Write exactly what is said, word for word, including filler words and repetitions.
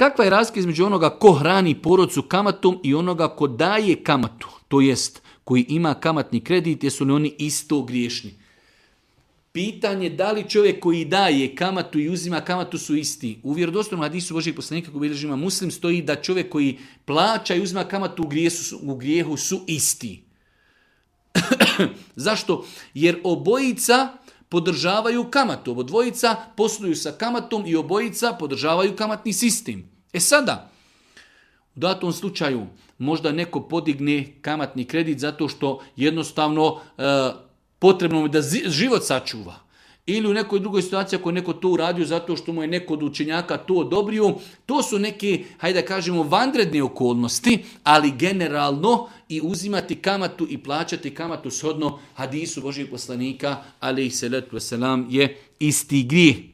kakva je razlika između onoga ko hrani porodcu kamatom i onoga ko daje kamatu, to jest koji ima kamatni kredit, jesu li oni isto griješni? Pitanje da li čovjek koji daje kamatu i uzima kamatu su isti. U vjerodostojnom hadisu Božijeg poslanika koji bilježi Imam Muslim stoji da čovjek koji plaća i uzima kamatu u grijehu su, u grijehu su isti. Zašto? Jer obojica podržavaju kamatu. Obodvojica posluju sa kamatom i obojica podržavaju kamatni sistem. E sada, u datom slučaju možda neko podigne kamatni kredit zato što jednostavno e, potrebno mu da život sačuva. Ili u nekoj drugoj situaciji ako je neko to uradio zato što mu je neko od učenjaka to odobrio. To su neke, hajde da kažemo, vanredne okolnosti, ali generalno i uzimati kamatu i plaćati kamatu shodno hadisu Božijeg poslanika, alejhi selatu vesselam, je isti grijeh.